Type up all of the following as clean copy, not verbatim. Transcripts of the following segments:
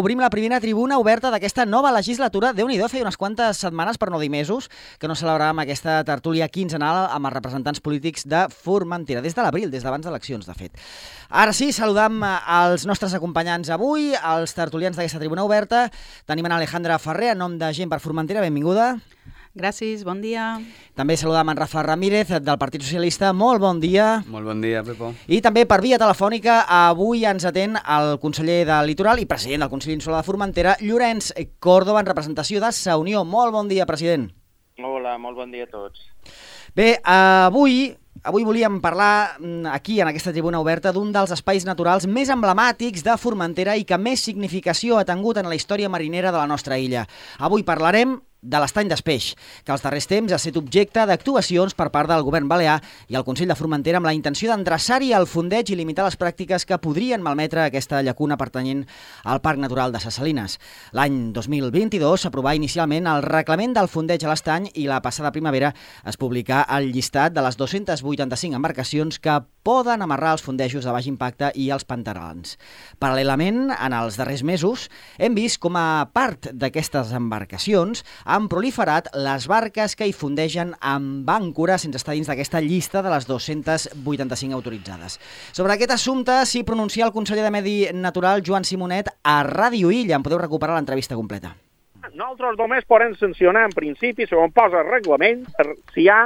Obrim la primera tribuna oberta d'aquesta nova legislatura. Déu-n'hi-do, feia unes quantes setmanes, per no dir mesos, que no celebràvem aquesta tertúlia quinzenal amb els representants polítics de Formentera, des de l'abril, des d'abans d'eleccions, de fet. Ara sí, saludam els nostres acompanyants avui, els tertulians d'aquesta tribuna oberta. Tenim en Alejandra Ferrer, en nom de Gent per Formentera, benvinguda. Gràcies, bon dia. També saludam en Rafa Ramírez, del Partit Socialista. Molt bon dia. Molt bon dia, Pepo. I també per via telefònica avui ens atén el conseller del Litoral i president del Consell Insular de Formentera, Llorenç Córdoba, en representació de Sa Unió. Molt bon dia, president. Hola, molt bon dia a tots. Bé, avui volíem parlar aquí, en aquesta tribuna oberta, d'un dels espais naturals més emblemàtics de Formentera i que més significació ha tingut en la història marinera de la nostra illa. Avui parlarem de l'Estany d'Espeix, que als darrers temps ha estat objecte d'actuacions per part del govern balear i el Consell de Formentera amb la intenció d'endreçar-hi el fondeig i limitar les pràctiques que podrien malmetre aquesta llacuna pertanyent al Parc Natural de Ses Salines. L'any 2022 s'aprovà inicialment el reglament del fondeig a l'estany i la passada primavera es publicà el llistat de les 285 embarcacions que poden amarrar els fondejos de baix impacte i els pantarals. Paral·lelament, en els darrers mesos, hem vist com a part d'aquestes embarcacions han proliferat les barques que hi fondegen amb àncora sense estar dins d'aquesta llista de les 285 autoritzades. Sobre aquest assumpte s'hi pronuncia el conseller de Medi Natural, Joan Simonet, a Ràdio Illa. En podeu recuperar l'entrevista completa. Nosaltres només podem sancionar, en principi, segons posa el reglament, si hi ha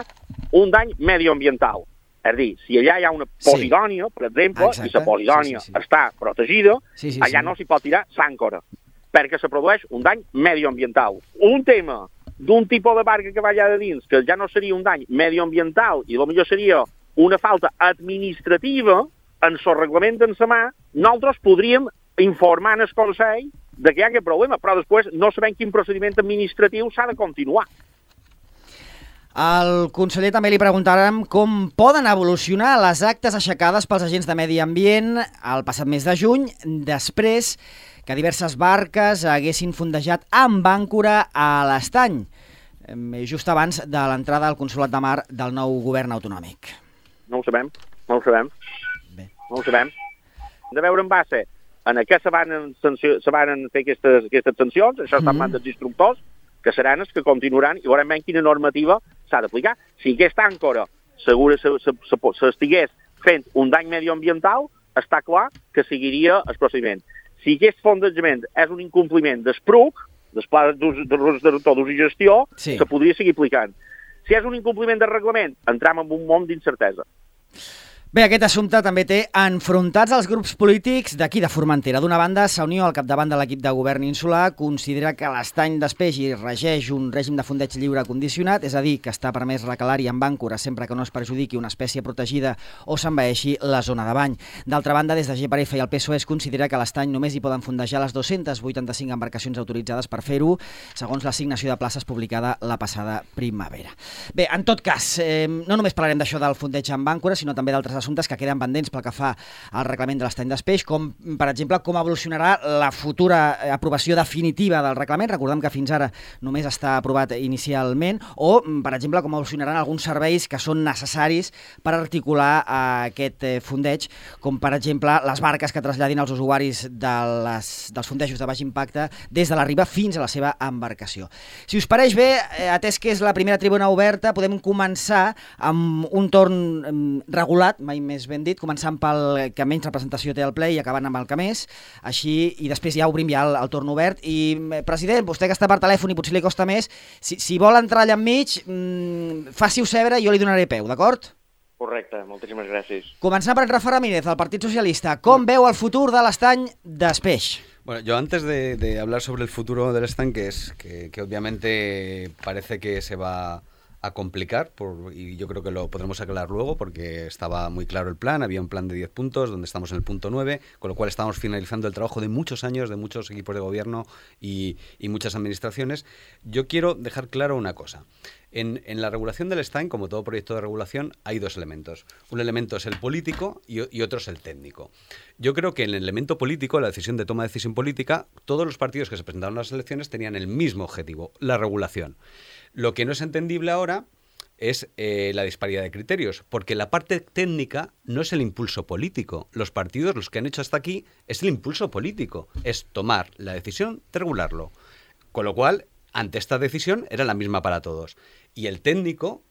un dany medioambiental. És a dir, si allà hi ha una posidònia, per exemple, i la posidònia està protegida, allà no s'hi pot tirar l'àncora, perquè se produeix un dany medioambiental. Un tema d'un tipus de barca que va allà de dins, que ja no seria un dany medioambiental i potser seria una falta administrativa, en el reglament en sa mà, nosaltres podríem informar en el Consell de que hi ha aquest problema, però després no sabem quin procediment administratiu s'ha de continuar. Al conseller també li preguntarem com poden evolucionar les actes aixecades pels agents de medi ambient el passat mes de juny, després que diverses barques haguessin fondejat amb àncora a l'estany, just abans de l'entrada al Consolat de Mar del nou govern autonòmic. No ho sabem. Bé. No ho sabem. Hem de veure en base en què se van fer aquestes sancions, això està en mans dels instructors, que seran els que continuaran i veurem quina normativa s'ha d'aplicar. Si aquesta àncora s'estigués fent un dany medioambiental, està clar que seguiria el procediment. Si aquest fondejament és un incompliment del PRUC, del Pla d'Ús i Gestió, que podria seguir aplicant. Si és un incompliment del reglament, entrem en un món d'incertesa. Bé, aquest assumpte també té enfrontats els grups polítics d'aquí de Formentera. D'una banda, Sa Unió, al capdavant de l'equip de govern insular, considera que l'estany d'Espeix hi regeix un règim de fondeig lliure condicionat, és a dir, que està permès recalar-hi amb àncora sempre que no es perjudiqui una espècie protegida o s'envaeixi la zona de bany. D'altra banda, des de GPRF i el PSOE es considera que a l'estany només hi poden fondejar les 285 embarcacions autoritzades per fer-ho, segons l'assignació de places publicada la passada primavera. Bé, en tot cas, no només parlarem d'això del fondeig amb àncora, sinó també d'altres assumptes que queden pendents pel que fa al reglament de l'estany d'Espeix, com, per exemple, com evolucionarà la futura aprovació definitiva del reglament. Recordem que fins ara només està aprovat inicialment, o, per exemple, com evolucionaran alguns serveis que són necessaris per articular aquest fondeig, com, per exemple, les barques que traslladin els usuaris dels fondejos de baix impacte des de la riba fins a la seva embarcació. Si us pareix bé, atès que és la primera tribuna oberta, podem començar amb un torn regulat, mai més ben dit, començant pel que menys representació té el ple i acabant amb el que més, així, i després ja obrim ja el torn obert. I, president, vostè que està per telèfon i potser li costa més, si vol entrar allà enmig, faci-ho saber i jo li donaré peu, d'acord? Correcte, moltíssimes gràcies. Començant per Rafa Ramírez, del Partit Socialista. Com veu el futur de l'estany d'Espeix? Bueno, yo antes de hablar sobre el futuro del stand, que obviamente parece que se va a complicar, y yo creo que lo podremos aclarar luego porque estaba muy claro el plan, había un plan de 10 puntos donde estamos en el punto 9, con lo cual estamos finalizando el trabajo de muchos años, de muchos equipos de gobierno y muchas administraciones. Yo quiero dejar claro una cosa. En la regulación del stand, como todo proyecto de regulación, hay dos elementos. Un elemento es el político y otro es el técnico. Yo creo que en el elemento político, la decisión de toma de decisión política, todos los partidos que se presentaron a las elecciones tenían el mismo objetivo, la regulación. Lo que no es entendible ahora es la disparidad de criterios, porque la parte técnica no es el impulso político. Los partidos, los que han hecho hasta aquí, es el impulso político, es tomar la decisión de regularlo. Con lo cual, ante esta decisión, era la misma para todos. Y el técnico,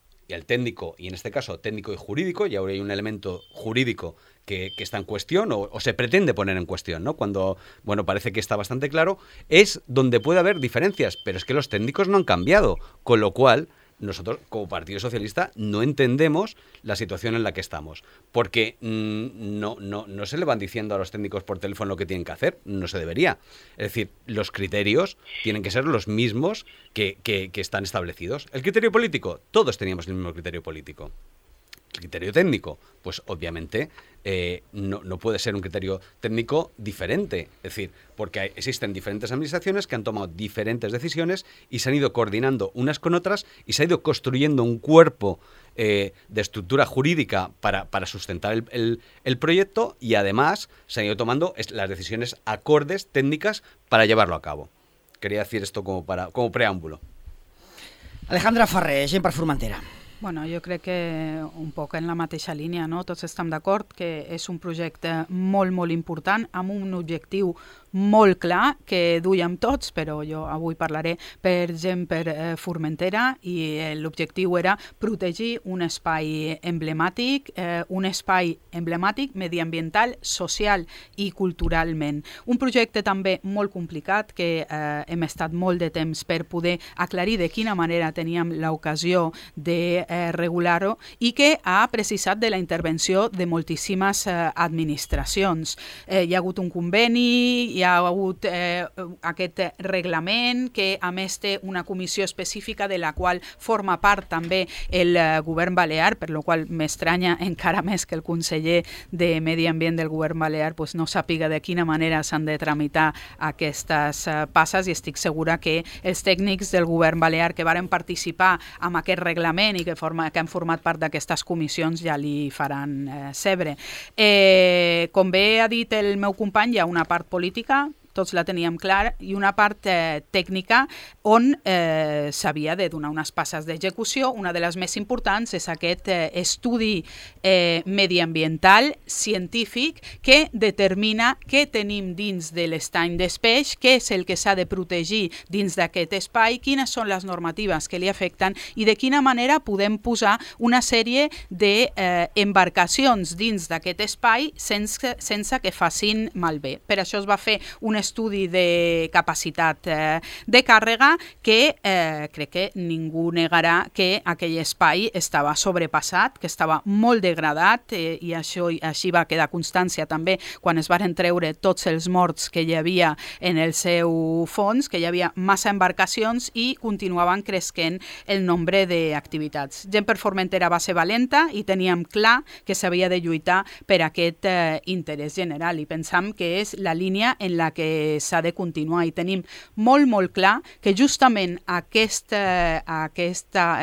y en este caso técnico y jurídico, y ahora hay un elemento jurídico que está en cuestión o se pretende poner en cuestión, ¿no? Cuando, bueno, parece que está bastante claro, es donde puede haber diferencias, pero es que los técnicos no han cambiado, con lo cual nosotros, como Partido Socialista, no entendemos la situación en la que estamos. Porque no se le van diciendo a los técnicos por teléfono lo que tienen que hacer. No se debería. Es decir, los criterios tienen que ser los mismos que están establecidos. El criterio político, todos teníamos el mismo criterio político. El criterio técnico, pues obviamente no puede ser un criterio técnico diferente. Es decir, porque existen diferentes administraciones que han tomado diferentes decisiones y se han ido coordinando unas con otras y se ha ido construyendo un cuerpo de estructura jurídica para sustentar el proyecto, y además se han ido tomando las decisiones acordes técnicas para llevarlo a cabo. Quería decir esto como preàmbulo. Alejandra Ferrer, Gent per Formentera. Bueno, jo crec que un poc en la mateixa línia, no? Tots estem d'acord que és un projecte molt, molt important, amb un objectiu molt clar que duiem tots, però jo avui parlaré per Gent per Formentera, i l'objectiu era protegir un espai emblemàtic mediambiental, social i culturalment. Un projecte també molt complicat que hem estat molt de temps per poder aclarir de quina manera teníem l'ocasió de regular-ho, i que ha precisat de la intervenció de moltíssimes administracions. Hi ha hagut un conveni, hi ha hagut aquest reglament que a més té una comissió específica de la qual forma part també el govern balear, per la qual m'estranya encara més que el conseller de Medi Ambient del govern balear no sàpiga de quina manera s'han de tramitar aquestes passes, i estic segura que els tècnics del govern balear que varen participar en aquest reglament i que han format part d'aquestes comissions ja li faran cebre. Com bé ha dit el meu company, hi ha una part política, tots la teníem clar, i una part tècnica on s'havia de donar unes passes d'execució. Una de les més importants és aquest estudi mediambiental científic que determina què tenim dins de l'estany d'Espeix, què és el que s'ha de protegir dins d'aquest espai, quines són les normatives que li afecten i de quina manera podem posar una sèrie d'embarcacions dins d'aquest espai sense que facin malbé. Per això es va fer un estudi de capacitat de càrrega que crec que ningú negarà que aquell espai estava sobrepassat, que estava molt degradat, i així va quedar constància també quan es varen treure tots els morts que hi havia en el seu fons, que hi havia massa embarcacions i continuaven cresquent el nombre d'activitats. Gent per Formentera va ser valenta i teníem clar que s'havia de lluitar per aquest interès general, i pensam que és la línia en la que s'ha de continuar, i tenim molt, molt clar que justament aquest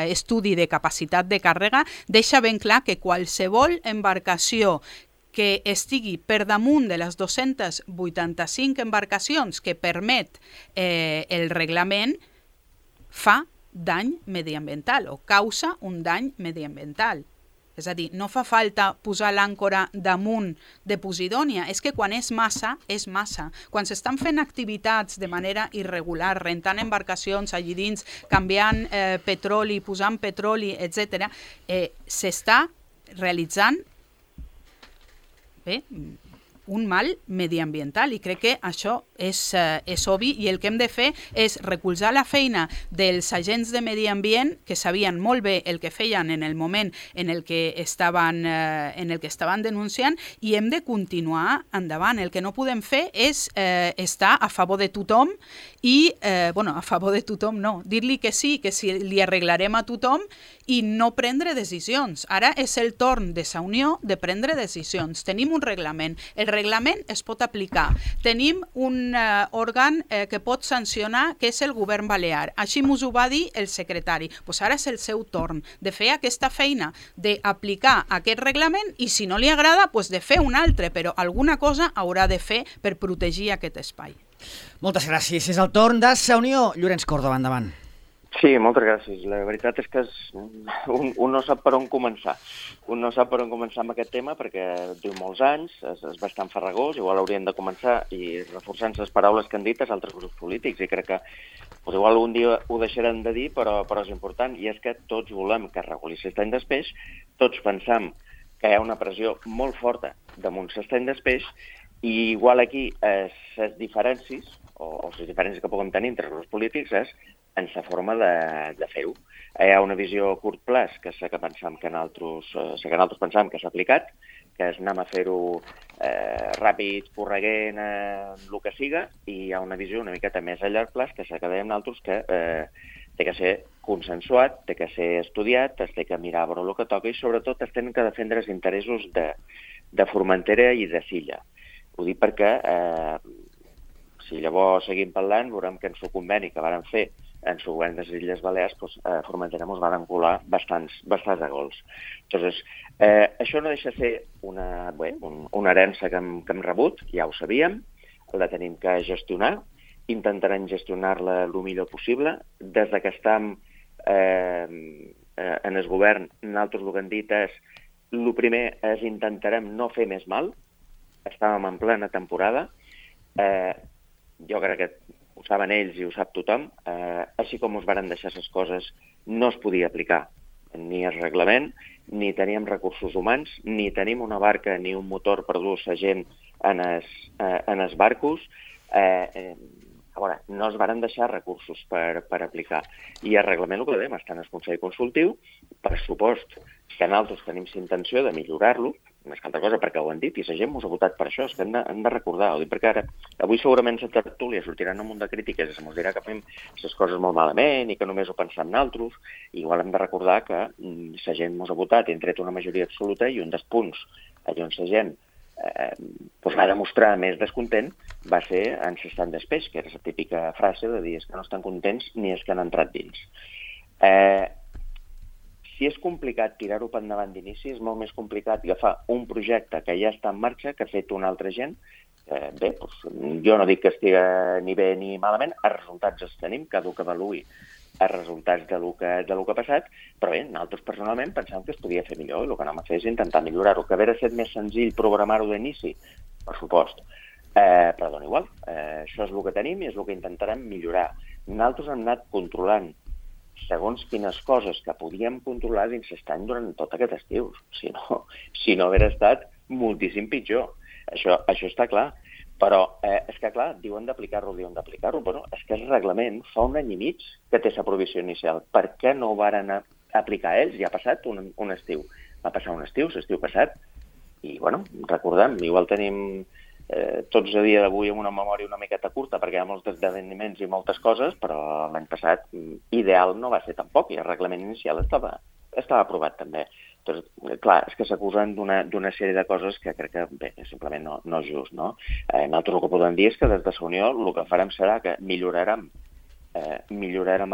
estudi de capacitat de càrrega deixa ben clar que qualsevol embarcació que estigui per damunt de les 285 embarcacions que permet el reglament fa dany mediambiental o causa un dany mediambiental. És a dir, no fa falta posar l'àncora damunt de Posidònia, és que quan és massa, és massa. Quan s'estan fent activitats de manera irregular, rentant embarcacions allí dins, canviant petroli, posant petroli, etc., s'està realitzant un mal mediambiental, i crec que això és obvi, i el que hem de fer és recolzar la feina dels agents de medi ambient que sabien molt bé el que feien en el moment en el que estaven denunciant, i hem de continuar endavant. El que no podem fer és estar a favor de tothom i, a favor de tothom no, dir-li que sí, que si li arreglarem a tothom i no prendre decisions. Ara és el torn de Sa Unió de prendre decisions. Tenim un reglament, el reglament es pot aplicar. Tenim un òrgan que pot sancionar, que és el govern balear. Així mos ho va dir el secretari. Pues ara és el seu torn de fer aquesta feina, d'aplicar aquest reglament, i si no li agrada, pues de fer un altre, però alguna cosa haurà de fer per protegir aquest espai. Moltes gràcies. És el torn de Sa Unió. Llorenç Córdoba, endavant. Sí, moltes gràcies. La veritat és que un no sap per on començar. Un no sap per on començar amb aquest tema perquè diu molts anys, és bastant farragós, igual haurien de començar i reforçant les paraules que han dit els altres grups polítics, i crec que igual un dia ho deixarem de dir, però és important, i és que tots volem que es reguli l'estany d'espeix, tots pensam que hi ha una pressió molt forta damunt l'estany d'espeix, i igual aquí les diferències, o les diferències que puguem tenir entre els grups polítics és en la forma de fer-ho. Hi ha una visió a curt plaç, que és la que pensam que nosaltres pensam que s'ha aplicat, que és anem a fer-ho ràpid, correguent, el que siga, i hi ha una visió una miqueta més a llarg plaç, que és la que dèiem nosaltres, que té que ser consensuat, té que ser estudiat, es té que mirar a veure el que toca, i sobretot es tenen que defendre els interessos de Formentera i de Silla. Ho dic perquè si llavors seguim parlant, veurem que en el conveni que varen fer en el govern de les Illes Balears, a Formentera ens van colar bastants de gols. Entonces, això no deixa de ser una herència que hem rebut, ja ho sabíem, la tenim que gestionar, intentarem gestionar-la el millor possible. Des que estem en el govern, nosaltres el que hem dit és, el primer és intentarem no fer més mal, estàvem en plena temporada, jo crec que ho saben ells i ho sap tothom, així com us varen deixar les coses, no es podia aplicar ni el reglament, ni teníem recursos humans, ni tenim una barca ni un motor per dur la gent en els barcos. A veure, no es varen deixar recursos per aplicar. I el reglament, el que dèiem, està en el Consell Consultiu, per supost que nosaltres tenim la intenció de millorar-lo, més que altra cosa perquè ho han dit, i la gent ens ha votat per això, és que hem de recordar, ho dic perquè ara, avui segurament la tertúlia sortiran un munt de crítiques i se'ns dirà que fem les coses molt malament i que només ho pensem nosaltres, i igual hem de recordar que la gent ens ha votat i han tret una majoria absoluta, i un dels punts allà on la gent va demostrar més descontent va ser en l'estany d'espeix, que era la típica frase de dir que no estan contents ni és que han entrat dins. Si és complicat tirar-ho per endavant d'inici, és molt més complicat agafar un projecte que ja està en marxa, que ha fet una altra gent. Bé, jo no dic que estigui ni bé ni malament, els resultats els tenim, cada un que avaluï els resultats de lo que ha passat, però bé, nosaltres personalment pensàvem que es podia fer millor, i el que anem a fer és intentar millorar-ho, que hauria estat més senzill programar-ho d'inici, per supost, però dona igual, això és el que tenim i és el que intentarem millorar. Nosaltres hem anat controlant segons quines coses que podíem controlar dins l'estany durant tot aquest estiu. Si no hauria estat moltíssim pitjor. Això està clar. Però és que, clar, diuen d'aplicar-ho. Bueno, és que el reglament fa un any i mig que té la provisió inicial. Per què no ho varen aplicar ells? Ja ha passat un estiu. Va passar un estiu, l'estiu passat. I, bueno, recordem, igual tenim tots a dia d'avui amb una memòria una miqueta curta perquè hi ha molts esdeveniments i moltes coses, però l'any passat ideal no va ser tampoc, i el reglament inicial estava aprovat també. Doncs, clar, és que s'acusen d'una sèrie de coses que crec que, bé, simplement no és just, no? Nosaltres el que podem dir és que des de la Unió el que farem serà que millorarem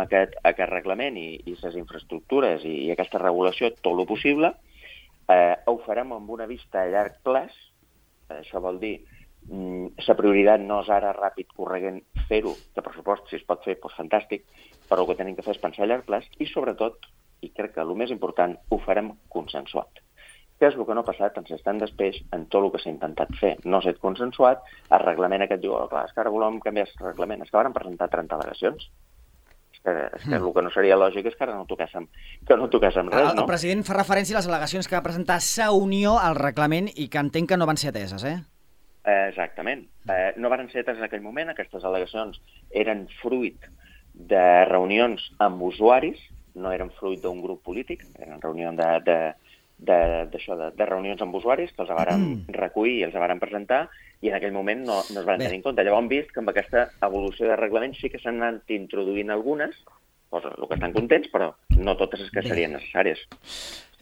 aquest reglament i les infraestructures i aquesta regulació tot el possible. Ho farem amb una vista a llarg plaç. Això vol dir la prioritat no és ara ràpid, correguent, fer-ho, que per supost, si es pot fer, doncs fantàstic, però el que tenim que fer és pensar a llarg plaç i, sobretot, i crec que el més important, ho farem consensuat. Què és el que no ha passat en l'estany d'espeix en tot el que s'ha intentat fer? No s'ha consensuat, el reglament aquest diu, clar, és que ara volem canviar el reglament, és que varen presentar 30 al·legacions. És que el que no seria lògic és que ara no toquéssim res, no? El president fa referència a les al·legacions que va presentar sa Unió al reglament i que entenc que no van ser ateses, Exactament. No van ser ateses en aquell moment. Aquestes al·legacions eren fruit de reunions amb usuaris, no eren fruit d'un grup polític, eren reunions de reunions amb usuaris que els varen recollir i els varen presentar, i en aquell moment no es van tenir en compte. Llavors hem vist que amb aquesta evolució de reglament sí que s'han anat introduint algunes, coses el que estan contents, però no totes les que serien necessàries.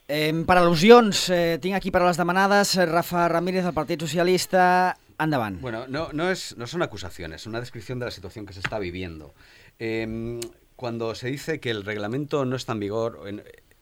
Per al·lusions, tinc aquí paraules demanades. Rafa Ramírez, del Partit Socialista, endavant. Bueno, no son acusaciones, es una descripción de la situación que se está viviendo. Cuando se dice que el reglamento no está en vigor,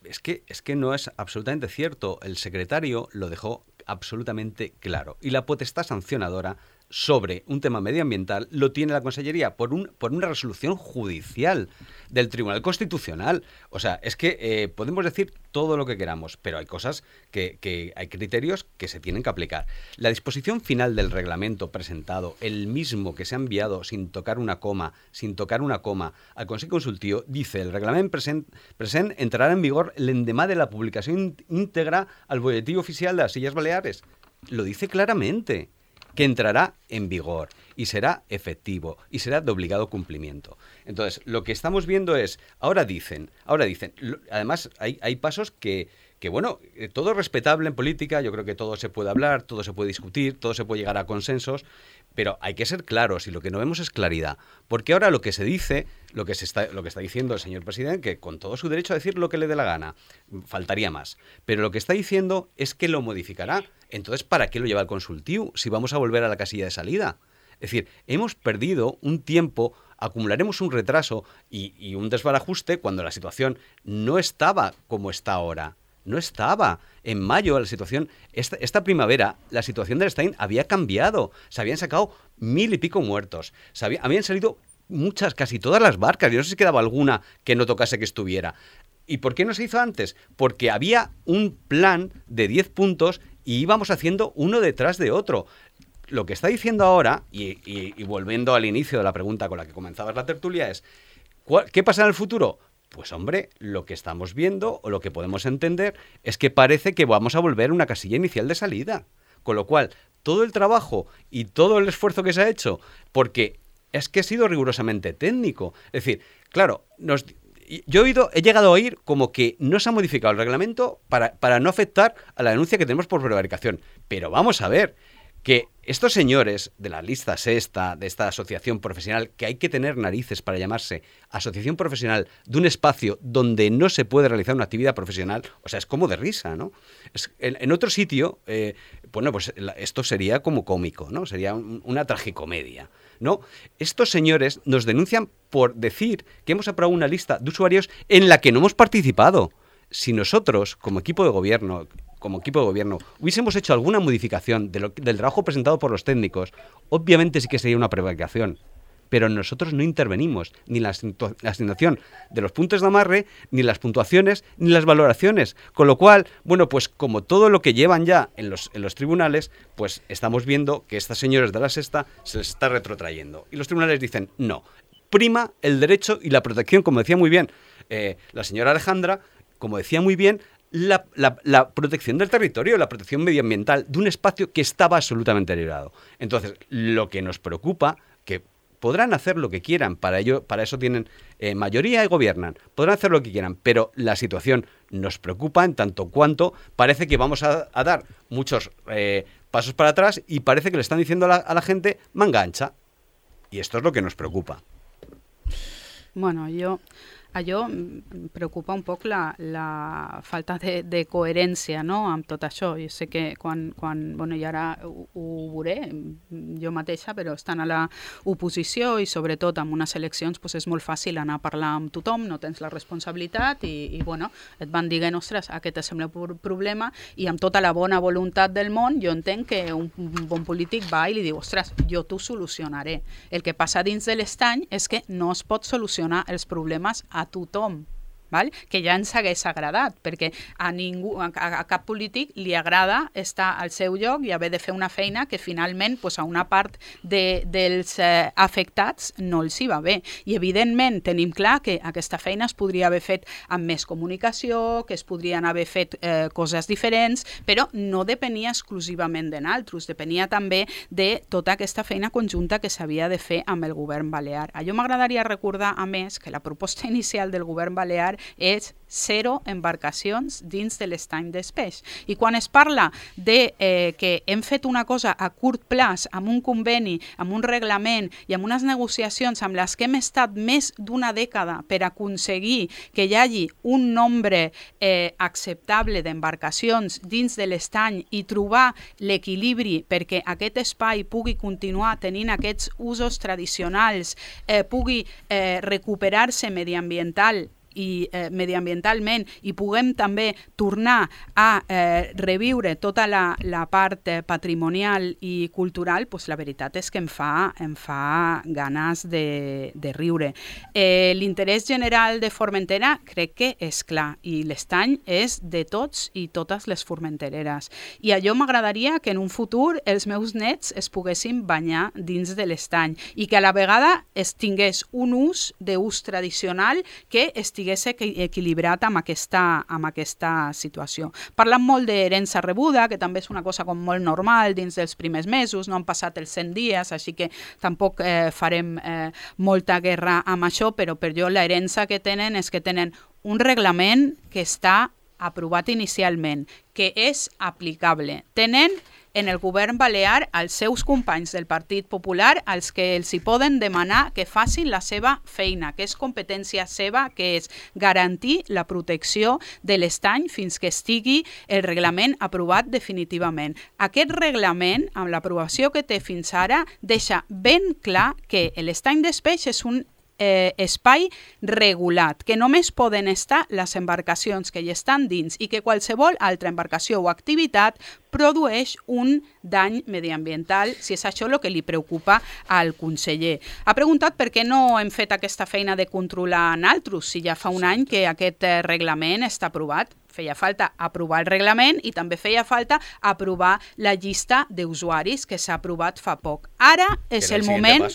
es que no es absolutamente cierto. El secretario lo dejó absolutamente claro. Y la potestad sancionadora sobre un tema medioambiental lo tiene la Consellería por una resolución judicial del Tribunal Constitucional. O sea, es que podemos decir todo lo que queramos, pero hay cosas que hay criterios que se tienen que aplicar. La disposición final del reglamento presentado, el mismo que se ha enviado sin tocar una coma al Consell Consultiu, dice: el reglamento present entrará en vigor l'endemà de la publicación íntegra al Boletín Oficial de las Illes Baleares. Lo dice claramente, que entrará en vigor y será efectivo y será de obligado cumplimiento. Entonces, lo que estamos viendo es, ahora dicen, además hay pasos que bueno, todo es respetable en política, yo creo que todo se puede hablar, todo se puede discutir, todo se puede llegar a consensos, pero hay que ser claros y lo que no vemos es claridad. Porque ahora lo que se dice, lo que está diciendo el señor presidente, que con todo su derecho a decir lo que le dé la gana, faltaría más. Pero lo que está diciendo es que lo modificará. Entonces, ¿para qué lo lleva al Consultiu si vamos a volver a la casilla de salida? Es decir, hemos perdido un tiempo, acumularemos un retraso y un desbarajuste cuando la situación no estaba como está ahora. No estaba. En mayo la situación, esta primavera, la situación del Stein había cambiado. Se habían sacado 1000 y pico muertos. Habían salido casi todas las barcas. Yo no sé si quedaba alguna que no tocase que estuviera. ¿Y por qué no se hizo antes? Porque había un plan de 10 puntos y íbamos haciendo uno detrás de otro. Lo que está diciendo ahora, y volviendo al inicio de la pregunta con la que comenzabas la tertulia, es ¿qué pasa en el futuro? Pues hombre, lo que estamos viendo o lo que podemos entender es que parece que vamos a volver a una casilla inicial de salida. Con lo cual, todo el trabajo y todo el esfuerzo que se ha hecho, porque es que ha sido rigurosamente técnico. Es decir, claro, yo he llegado a oír como que no se ha modificado el reglamento para no afectar a la denuncia que tenemos por prevaricación. Pero vamos a ver, que estos señores de la lista sexta, de esta asociación profesional, que hay que tener narices para llamarse asociación profesional de un espacio donde no se puede realizar una actividad profesional, o sea, es como de risa, ¿no? En otro sitio, bueno, pues esto sería como cómico, ¿no? Sería una tragicomedia, ¿no? Estos señores nos denuncian por decir que hemos aprobado una lista de usuarios en la que no hemos participado. Si nosotros, como equipo de gobierno, hubiésemos hecho alguna modificación del trabajo presentado por los técnicos, obviamente sí que sería una prevaricación. Pero nosotros no intervenimos ni en la asignación de los puntos de amarre, ni en las puntuaciones, ni en las valoraciones. Con lo cual, bueno, pues como todo lo que llevan ya en los tribunales, pues estamos viendo que estas señoras de la sexta se les está retrotrayendo. Y los tribunales dicen, no, prima el derecho y la protección, como decía muy bien la señora Alejandra, como decía muy bien, la protección del territorio, la protección medioambiental de un espacio que estaba absolutamente librado. Entonces, lo que nos preocupa, que podrán hacer lo que quieran, para eso tienen mayoría y gobiernan, podrán hacer lo que quieran, pero la situación nos preocupa en tanto cuanto parece que vamos a dar muchos pasos para atrás y parece que le están diciendo a la gente manga ancha. Y esto es lo que nos preocupa. Bueno, allò em preocupa un poc la falta de coherència, no?, amb tot això. Jo sé que quan bueno, i ara ho veuré jo mateixa, però estan a l'oposició i sobretot amb unes eleccions pues és molt fàcil anar a parlar amb tothom, no tens la responsabilitat i bueno, et van dient, ostres, aquest és el meu problema, i amb tota la bona voluntat del món jo entenc que un bon polític va i li diu, ostres, jo t'ho solucionaré. El que passa dins de l'estany és que no es pot solucionar els problemes a tothom, val? Que ja ens hagués agradat, perquè a cap polític li agrada estar al seu lloc i haver de fer una feina que finalment pues, a una part dels afectats no els hi va bé. I evidentment tenim clar que aquesta feina es podria haver fet amb més comunicació, que es podrien haver fet coses diferents, però no depenia exclusivament de nosaltres, depenia també de tota aquesta feina conjunta que s'havia de fer amb el govern balear. A jo m'agradaria recordar, a més, que la proposta inicial del govern balear és 0 embarcacions dins de l'estany d'Espeix. I quan es parla de que hem fet una cosa a curt plaç, amb un conveni, amb un reglament i amb unes negociacions amb les que hem estat més d'una dècada per aconseguir que hi hagi un nombre acceptable d'embarcacions dins de l'estany i trobar l'equilibri perquè aquest espai pugui continuar tenint aquests usos tradicionals, pugui recuperar-se mediambiental i mediambientalment i puguem també tornar a reviure tota la part patrimonial i cultural, doncs la veritat és que em fa ganes de riure. L'interès general de Formentera crec que és clar i l'estany és de tots i totes les formentereres. I allò m'agradaria que en un futur els meus nets es poguessin banyar dins de l'estany i que a la vegada es tingués un ús tradicional que estigués equilibrat amb aquesta situació. Parlant molt d'herència rebuda, que també és una cosa com molt normal dins dels primers mesos, no han passat els 100 dies, així que tampoc farem molta guerra amb això, però per jo l'herència que tenen és que tenen un reglament que està aprovat inicialment, que és aplicable. Tenen en el govern balear els seus companys del Partit Popular als que els hi poden demanar que facin la seva feina, que és competència seva, que és garantir la protecció de l'estany fins que estigui el reglament aprovat definitivament. Aquest reglament, amb l'aprovació que té fins ara, deixa ben clar que l'estany d'Espeix és un espai regulat, que només poden estar les embarcacions que hi estan dins i que qualsevol altra embarcació o activitat produeix un dany mediambiental, si és això el que li preocupa al conseller. Ha preguntat per què no hem fet aquesta feina de controlar naltros, si ja fa un any que aquest reglament està aprovat. Feia falta aprovar el reglament i també feia falta aprovar la llista d'usuaris que s'ha aprovat fa poc. Ara és el moment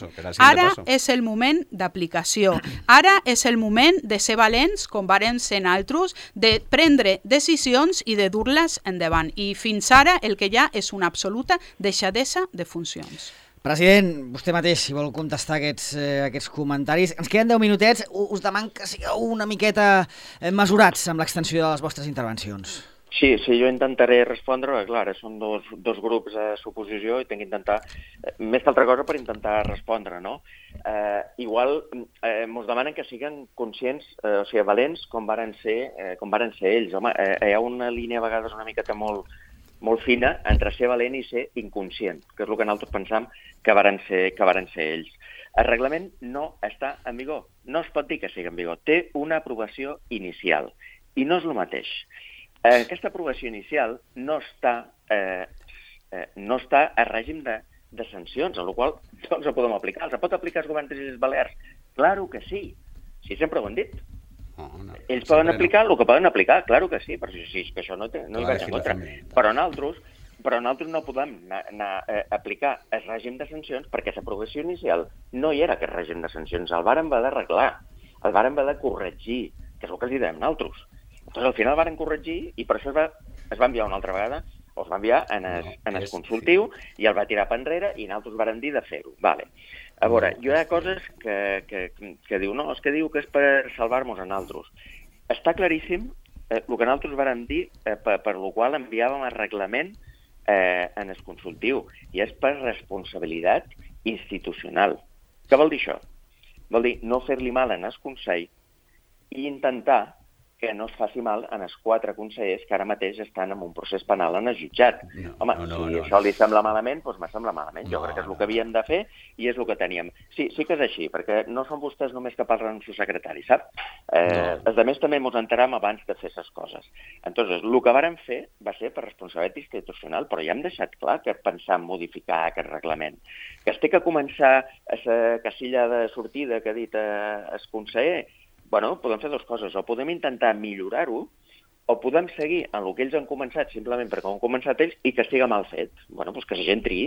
d'aplicació. Ara és el moment de ser valents, com varen ser naltros, de prendre decisions i de dur-les endavant. I fins ara el que hi ha és una absoluta deixadesa de funcions. President, vostè mateix, si vol contestar aquests comentaris. Ens queden 10 minutets. Us demano que sigueu una miqueta mesurats amb l'extensió de les vostres intervencions. Sí, jo intentaré respondre, clar, són dos grups a suposició i tinc que intentar, més que altra cosa per intentar respondre, no? Igual mos demanen que siguin conscients, o sigui, valents com varen ser ells. Home, hi ha una línia a vegades una miqueta molt fina entre ser valent i ser inconscient, que és el que nosaltres pensam que varen ser ells. El reglament no està en vigor, no es pot dir que sigui en vigor, té una aprovació inicial i no és el mateix. Aquesta aprovació inicial no està a règim de sancions, amb la qual cosa no els podem aplicar. Els pot aplicar els governs de les Balears? Claro que sí, sempre ho hem dit. Ells poden aplicar el que poden aplicar, claro que sí, però sí, que això no hi vaig en contra. Però nosaltres no podem anar a aplicar el règim de sancions perquè l'aprovació inicial no hi era aquest règim de sancions, el vàrem haver d'arreglar, el vàrem haver de corregir, que és el que els diem nosaltres. Al final el vàrem corregir i per això es va enviar una altra vegada, o es va enviar en el consultiu i el va tirar per enrere i nosaltres vàrem dir de fer-ho. Vale. A veure, hi ha coses que diu, no, és que diu que és per salvar-nos a nosaltres. Està claríssim el que nosaltres vàrem dir, per lo qual enviàvem el reglament en el consultiu, i és per responsabilitat institucional. Què vol dir això? Vol dir no fer-li mal en el Consell i intentar que no es faci mal en els 4 consellers que ara mateix estan en un procés penal en el jutjat. Home, si això li sembla malament, doncs me sembla malament. Jo crec que és el que havíem de fer i és el que teníem. Sí que és així, perquè no són vostès només que parlen amb el secretari, sap? Els altres també ens enteram abans de fer aquestes coses. Entonces, el que vàrem fer va ser per responsabilitat institucional, però ja hem deixat clar que pensam modificar aquest reglament. Que es té que començar a la casilla de sortida que ha dit el conseller. Bueno, podem fer dues coses. O podem intentar millorar-ho, o podem seguir en el que ells han començat, simplement perquè ho han començat ells, i que estiga mal fet. Bueno, doncs que la gent triï.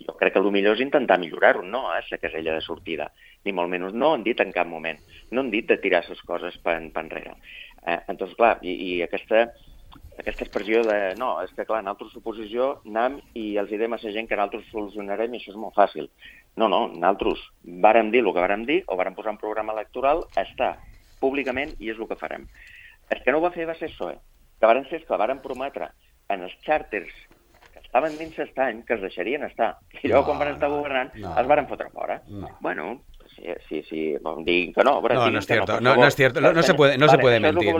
Jo crec que el millor és intentar millorar-ho, no la casella de sortida. Ni molt menys. No han dit en cap moment. No han dit de tirar les coses per enrere. Entonces, clar, i aquesta expressió de... No, és que, clar, en altra suposició anem i els diem a la gent que nosaltres solucionarem i això és molt fàcil. No, nosaltres vàrem dir el que vàrem dir, o vàrem posar un programa electoral, està públicament, i és el que farem. El que no ho va fer va ser això, que varen ser que varen prometre en els xàrters que estaven dins l'estany que els deixarien estar. I llavors, quan van estar governant, els varen fotre fora. Bueno, Sí, diguin que no. No es cierto, no es cierto, no se puede mentir.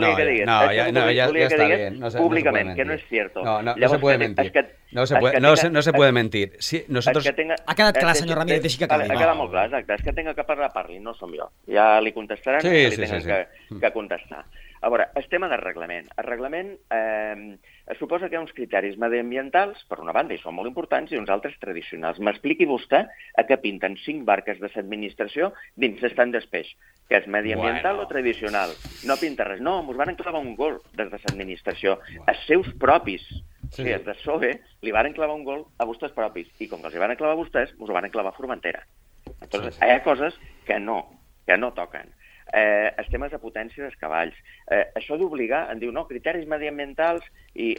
No, ya está bien. Públicamente, que no es cierto. No se puede mentir. No se puede mentir. Nosotros... Ha quedat clar, senyor Ramírez, deixi que acabi. Ha quedat molt clar, exacte. És que tinc que parli, no som jo. Ja li contestaran que li tenen que contestar. A veure, el tema del reglament. El reglament es suposa que hi ha uns criteris mediambientals, per una banda, i són molt importants, i uns altres tradicionals. M'expliqui vostè a què pinten 5 barques de l'administració dins l'estand d'espeix, que és mediambiental o tradicional. No pinta res. No, mos van clavar un gol des de l'administració. Els seus propis, sí, els de PSOE, li van clavar un gol a vostès propis. I com que els hi van clavar a vostès, mos ho van clavar a Formentera. Entonces, hi ha coses que no toquen. Els temes de potència dels cavalls. Això d'obligar, em diu, no, criteris mediambientals, i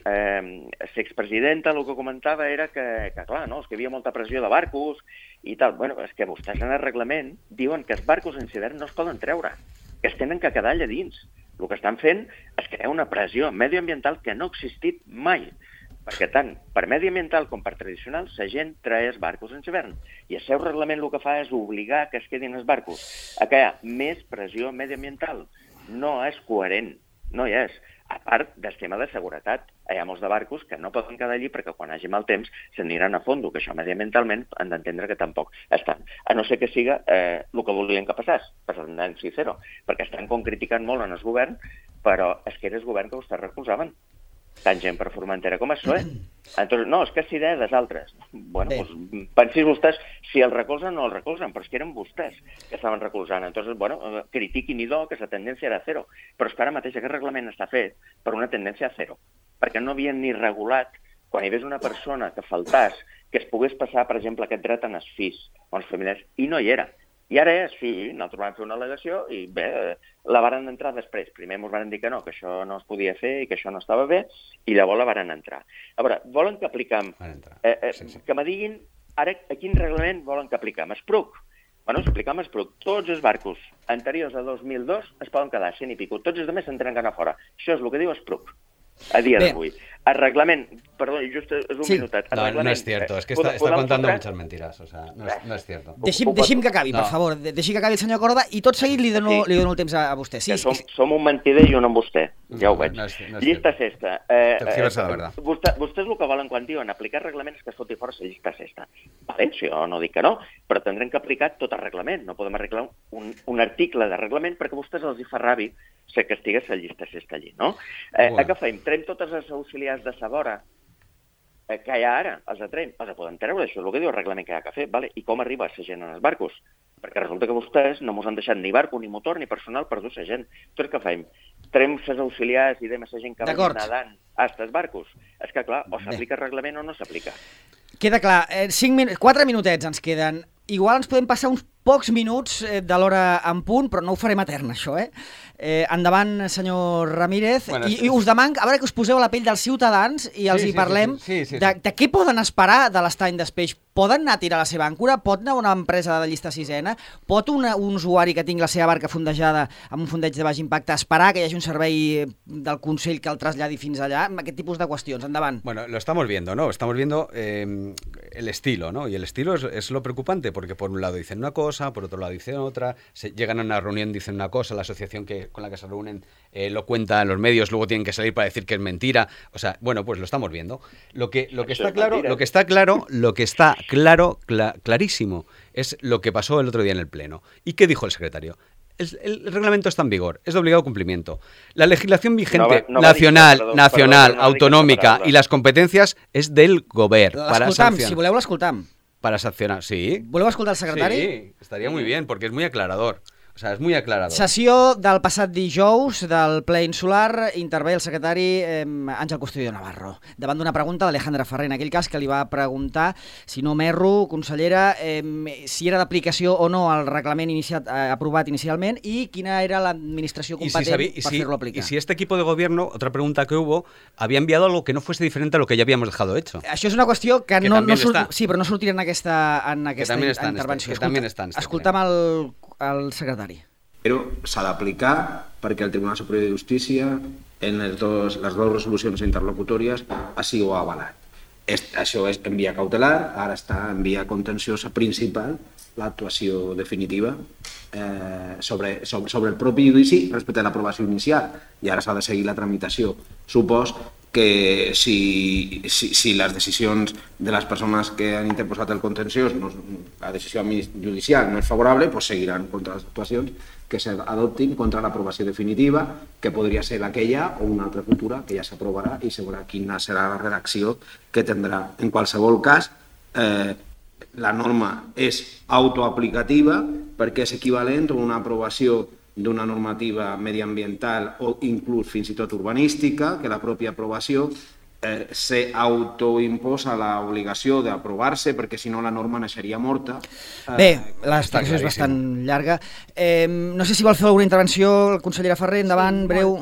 l'expresidenta el que comentava era que clar, no, és que hi havia molta pressió de barcos i tal. Bueno, és que vostès en el reglament diuen que els barcos en hivern no es poden treure, que es tenen que quedar allà dins. El que estan fent és crear una pressió medioambiental que no ha existit mai. Perquè tant per mediambiental com per tradicional la gent traeix barcos en hivern i el seu reglament el que fa és obligar que es quedin els barcos a que hi ha més pressió mediambiental. No és coherent, no hi és. A part del tema de seguretat, hi ha molts de barcos que no poden quedar allí perquè quan hagi mal temps s'aniran a fondo, que això mediambientalment han d'entendre que tampoc estan. A no ser que siga el que volien que passés, tendència zero, perquè estan criticant molt en el govern, però és que era el govern que vostès recolzaven. Tant gent per Formentera com a PSOE. Entonces, no, és que és idea dels altres. Bueno, doncs, pensis vostès si el recolzen o no el recolzen, però és que eren vostès que estaven recolzant. Entonces, bueno, critiquin idò que la tendència era zero. Però és que ara mateix aquest reglament està fet per una tendència a zero, perquè no havien ni regulat quan hi hagués una persona que faltàs, que es pogués passar, per exemple, aquest dret en els fills o els familiars, i no hi era. I ara és, sí, nosaltres vam fer una al·legació i bé, la varen entrar després. Primer ens van dir que no, que això no es podia fer i que això no estava bé, i llavors la varen entrar. A veure, volen que apliquem... Que me diguin ara a quin reglament volen que apliquem. Espruc. Bueno, si apliquem Espruc, tots els barcos anteriors a 2002 es poden quedar 100 i pico. Tots els altres s'entenen que anar fora. Això és el que diu Espruc a dia d'avui. El reglament, perdó, just és un minutet. No es cierto, es que está contando muchas mentiras, o sea, no es cierto. Deixi'm que acabi, per favor, deixi que acabi el senyor Corda i tot seguit li dono el temps a vostè. Sí, som un mentider i un amb vostè, ja ho veig. Llista cesta. Vostès el que volen quan diuen aplicar reglaments que es foti fora la llista cesta. Vale, si jo no dic que no, però tindrem que aplicar tot el reglament. No podem arreglar un article de reglament perquè a vostès els hi fa ràbia que estigués la llista cesta allí, no? Què fem? Trem totes les auxiliars de Sabora que hi ha ara, els poden treure, això és el que diu el reglament que hi ha que fer, vale? I com arriba la gent en els barcos? Perquè resulta que vostès no ens han deixat ni barco, ni motor, ni personal per dur la gent. Doncs què fem? Trem les auxiliars i dem la gent que va nedant a aquests barcos? És que, clar, o s'aplica el reglament o no s'aplica. Queda clar. 4 minutets ens queden. Igual ens podem passar uns pocs minuts de l'hora en punt, però no ho farem etern, això, endavant, senyor Ramírez. Bueno, I us demano, a veure que us poseu a la pell dels ciutadans i els hi parlem de què poden esperar de l'estany d'Espeix. Poden anar a tirar la seva àncora? Pot anar una empresa de llista sisena? Pot un usuari que tingui la seva barca fondejada amb un fondeig de baix impacte esperar que hi hagi un servei del Consell que el traslladi fins allà? Aquest tipus de qüestions. Endavant. Bueno, lo estamos viendo, ¿no? Estamos viendo el estilo, ¿no? Y el estilo es lo preocupante, porque por un lado dicen una cosa, por otro lado dicen otra, llegan a una reunión, dicen una cosa, la asociación con la que se reúnen lo cuenta en los medios, luego tienen que salir para decir que es mentira. O sea, bueno, pues lo estamos viendo. Lo que está clarísimo es lo que pasó el otro día en el Pleno. ¿Y qué dijo el secretario? El reglamento está en vigor, es de obligado cumplimiento. La legislación vigente nacional, autonómica y las competencias es del govern. Si voleu l'escoltam. Para sancionar, sí. Voleu escoltar el secretari? Sí, estaría muy bien, porque es muy aclarador. O sea, es muy aclarador. Sessió del passat dijous del ple insular, intervé el secretari Àngel Custodio Navarro, davant d'una pregunta d'Alejandra Ferrer, en aquell cas que li va preguntar, si no m'erro, consellera, si era d'aplicació o no el reglament aprovat inicialment i quina era l'administració competent per fer-lo aplicar. Y si este equipo de gobierno, otra pregunta que hubo, había enviado algo que no fuese diferente a lo que ya habíamos dejado hecho. Això és una qüestió que no però no sortirà en aquesta intervenció. Escoltam el secretari. Però s'ha d'aplicar perquè el Tribunal Superior de Justícia en les dues resolucions interlocutòries així ho ha avalat. Això és en via cautelar, ara està en via contenciosa principal l'actuació definitiva sobre el propi judici respecte a l'aprovació inicial, i ara s'ha de seguir la tramitació. Supos que si les decisions de les persones que han interposat el contenciós, la decisió judicial no és favorable, doncs seguiran contra les actuacions que s'adoptin contra l'aprovació definitiva, que podria ser aquella o una altra futura que ja s'aprovarà i se veurà quina serà la redacció que tindrà. En qualsevol cas, la norma és autoaplicativa perquè és equivalent a una aprovació d'una normativa mediambiental o inclús fins i tot urbanística, que la pròpia aprovació s'autoimposa l'obligació d'aprovar-se perquè si no la norma naixeria morta. Bé, l'explicació és bastant llarga. No sé si vol fer alguna intervenció la consellera Ferrer, endavant, breu.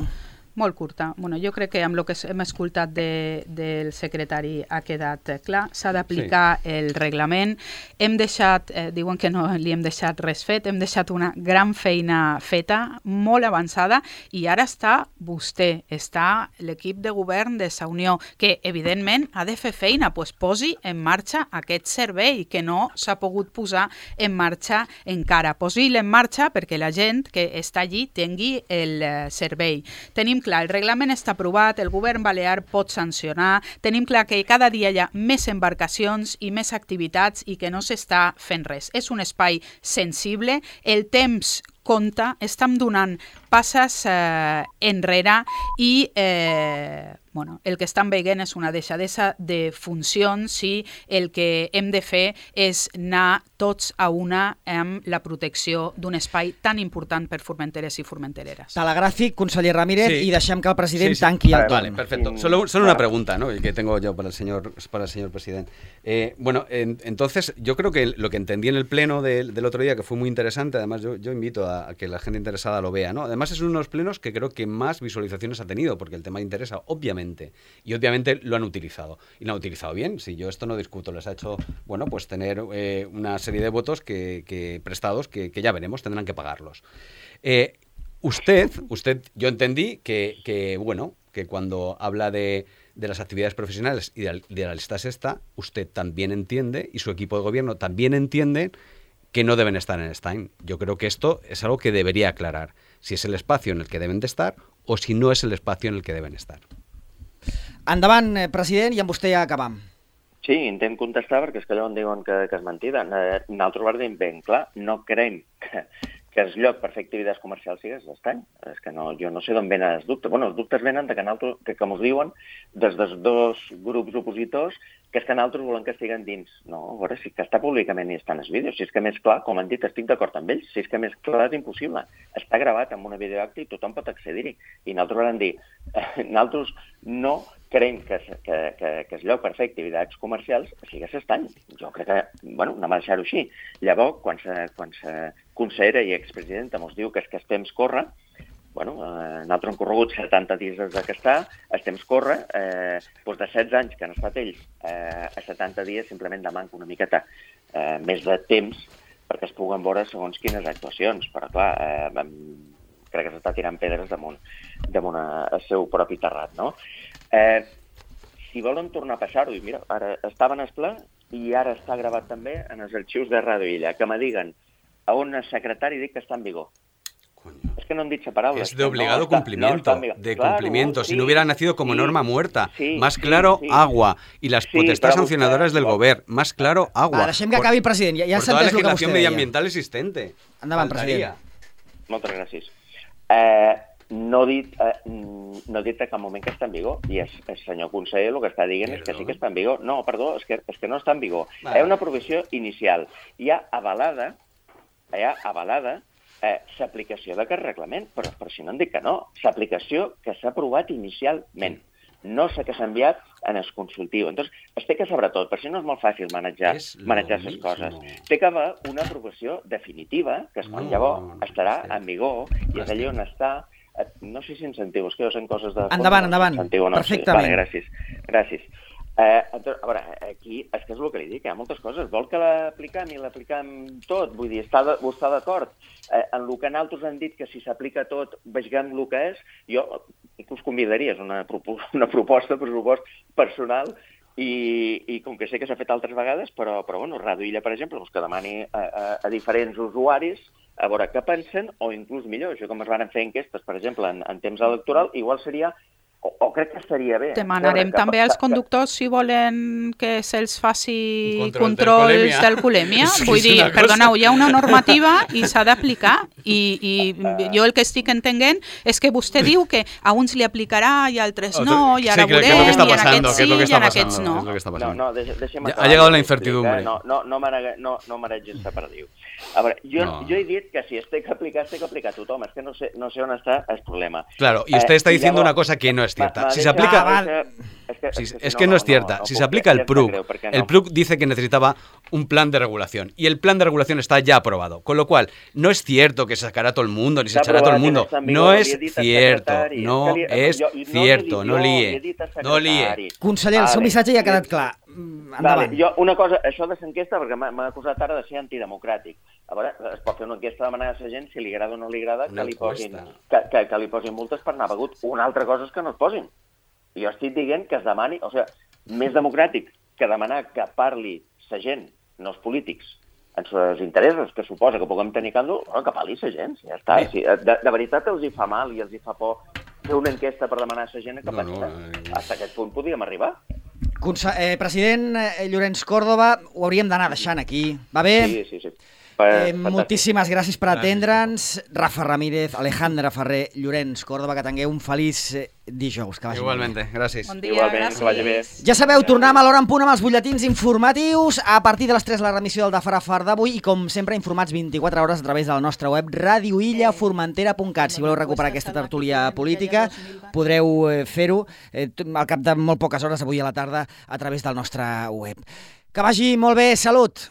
Molt curta. Bueno, jo crec que amb el que hem escoltat del secretari ha quedat clar. S'ha d'aplicar el reglament. Hem deixat, diuen que no li hem deixat res fet, hem deixat una gran feina feta, molt avançada, i ara està vostè, està l'equip de govern de Sa Unió, que evidentment ha de fer feina, doncs posi en marxa aquest servei que no s'ha pogut posar en marxa encara. Posi-lo en marxa perquè la gent que està allí tingui el servei. Tenim clar, el reglament està aprovat, el govern balear pot sancionar, tenim clar que cada dia hi ha més embarcacions i més activitats i que no s'està fent res. És un espai sensible, el temps compta, estem donant passes enrere i el que estan veient és una deixadesa de funcions i el que hem de fer és anar tots a una amb la protecció d'un espai tan important per formenteres i formentereres. Telegràfic, conseller Ramírez, y deixem que el president tanqui el torn. Vale, perfecto. Solo una pregunta, ¿no?, que tengo yo para el señor presidente. Entonces, yo creo que lo que entendí en el pleno del otro día, que fue muy interesante, además yo invito a que la gente interesada lo vea, ¿no? Además es uno de los plenos que creo que más visualizaciones ha tenido, porque el tema interesa, obviamente, y obviamente lo han utilizado, y lo han utilizado bien. Si yo esto no discuto, les ha hecho, pues tener una serie de votos que prestados que ya veremos, tendrán que pagarlos. Usted, yo entendí que cuando habla de las actividades profesionales y de la lista sexta, usted también entiende, y su equipo de gobierno también entiende, que no deben estar en Stein. Yo creo que esto es algo que debería aclarar, si es el espacio en el que deben de estar o si no es el espacio en el que deben estar. Endavant, president, i amb vostè ja acabam. Sí, intent contestar perquè és que allò on diuen que és mentida. Nosaltres ho diem ben clar, no creiem que el lloc per fer activitats comercials sigui l'Estany. És que jo no sé d'on venen els dubtes. Els dubtes venen de que com us diuen, des dels dos grups opositors, que és que nosaltres volem que estiguen dins. No, a veure, si que està públicament i està en els vídeos. Si és que més clar, com han dit, estic d'acord amb ells. Si és que més clar és impossible. Està gravat amb una videoacte i tothom pot accedir-hi. I nosaltres vam dir, nosaltres no creiem que el lloc per fer activitats comercials sigui l'Estany. Jo crec que, anem a deixar-ho així. Llavors, quan la consellera i expresidenta ens diu que el temps corre, nosaltres hem corregut 70 dies des que està, el temps corre, de 16 anys que han estat ells, a 70 dies simplement demanca una miqueta més de temps perquè es puguen veure segons quines actuacions. Però clar, crec que s'està tirant pedres damunt el seu propi terrat, no? Si volen tornar a passar-ho, i mira, ara estava en el ple i ara està gravat també en els arxius de Ràdio Illa, que me diguen a on el secretari dic que està en vigor. Coño. Es que no han dicho palabras. Es de obligado cumplimiento, cumplimiento. Si no hubiera nacido como norma muerta. Sí, más claro, agua. Y las potestades sancionadoras del gobierno. Más claro, agua. Deixem que acabi, president. Ja por toda la s'entès el que legislación vostè deia. medioambiental existente. Endavant, president. Moltes gràcies. No he dit a cap moment que està en vigor, i el senyor conseller el que està dient és que sí que està en vigor. No, perdó, és que no està en vigor. Hi ha una provisió inicial. Hi ha avalada l'aplicació d'aquest reglament, però si no em dic que no, l'aplicació que s'ha aprovat inicialment, no la que s'ha enviat en el consultiu. Entonces, es té que saber tot, per això no és molt fàcil manejar les coses. Té que haver una aprovació definitiva, que és quan llavors estarà en vigor, i és allà on està. No sé si em sentiu, és que jo sent coses de... Endavant, perfectament. Vale, gràcies. A veure, aquí és que és el que li dic, hi ha moltes coses. Vol que l'apliquem i l'apliquem tot? Vull dir, està d'acord? En el que nosaltres han dit que si s'aplica tot, vegem el que és, jo us convidaria, és una proposta, pressupost personal, I com que sé que s'ha fet altres vegades, però bueno, Ràdio Illa, per exemple, doncs que demani a diferents usuaris a veure què pensen, o inclús millor, això com es van fer enquestes, per exemple, en temps electoral, igual seria, o crec que estaria bé. Demanarem també als conductors si volen que se'ls faci controls d'alcoholèmia. Vull dir, perdoneu, hi ha una normativa i s'ha d'aplicar, i jo el que estic entenent és que vostè diu que a uns li aplicarà i a altres no, i ara veurem, i en aquests sí, i en aquests no. No, deixa'm acabar. Ha llegado la incertidumbre. No maregis separadiu. A veure, jo he dit que si es té que aplicar a tothom, és que no sé on està el problema. Claro, y usted está diciendo una cosa que no es cierta. Si se aplica... Es que no es cierta. Si se aplica el PRUC dice que necesitaba un plan de regulación y el plan de regulación está ya aprobado, con lo cual no es cierto que se sacará todo el mundo ni se echará todo el mundo. No es cierto, no es cierto, no líe. Conseller, el seu missatge ja ha quedat clar. Endavant. Una cosa, això de l'enquesta, perquè m'ha acusat ara de ser antidemocràtic. A veure, es pot fer una enquesta demanant a la gent si li agrada o no li agrada que li posin multes per anar begut. Una altra cosa és que no es posin. Jo estic dient que es demani, o sigui, més democràtic que demanar que parli la gent, no els polítics, en els interessos que suposa que puguem tenir càndol, que parli la gent, ja està. Si de veritat els hi fa mal i els hi fa por fer una enquesta per demanar a la gent que pensa. Fins a aquest punt podíem arribar. President Llorenç Córdoba, ho hauríem d'anar deixant aquí, va bé? Sí. Moltíssimes gràcies per atendre'ns. Rafa Ramírez, Alejandra Ferrer, Llorenç Córdoba, que tingueu un feliç dijous. Igualmente, gràcies. Bon dia, gràcies. Que vagi bé. Ja sabeu, tornem a l'hora en punt amb els butlletins informatius. A partir de les 3 la remissió del Dafarafar d'avui i, com sempre, informats 24 hores a través de la nostra web radioillaformentera.cat. Si voleu recuperar aquesta tertúlia política, podreu fer-ho al cap de molt poques hores avui a la tarda a través del nostre web. Que vagi molt bé, salut!